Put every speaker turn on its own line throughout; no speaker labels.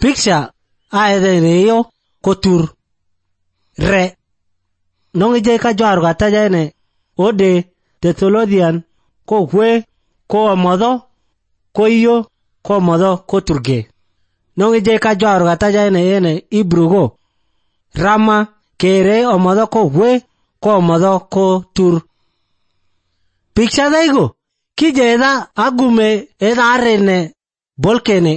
Picture aede reyo kotur re nongi je ka jwar ga tajane ode Thessalonian ko hwe ko modo ko yo ko modo ko turge nongi je ka jwar ga tajane ene ibrugo rama kere o modo ko hwe ko modo ko tur picture daigo kije da agume eda arene bolkene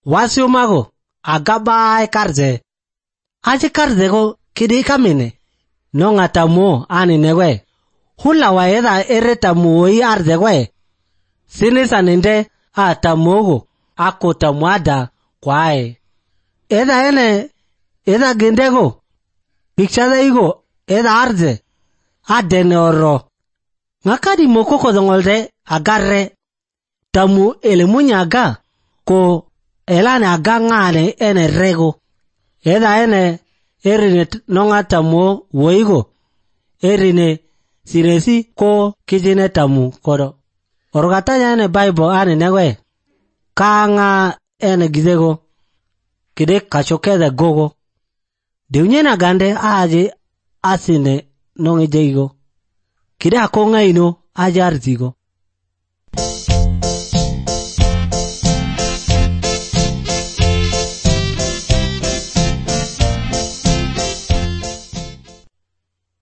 wasio mago agaba karze aje karze go kidi kamine no ngatamo ani newe hula wa eda eretamu yi arze we sinisa nende atamogo akota mwada kwae eda ene eda gendego picture igo eda arze adene oro ngakadi mokoko dongolde agarre tamu elemunyaga ko elane agangane ene rego eda ene erine nonga tamu woigo erine siresi ko kijine tamu kodo orgatanya ene Bible ane newe kanga ene gizego kide kachokede gogo deunyena gande aje asine nongi jeigo kide akonga ino aje arzigo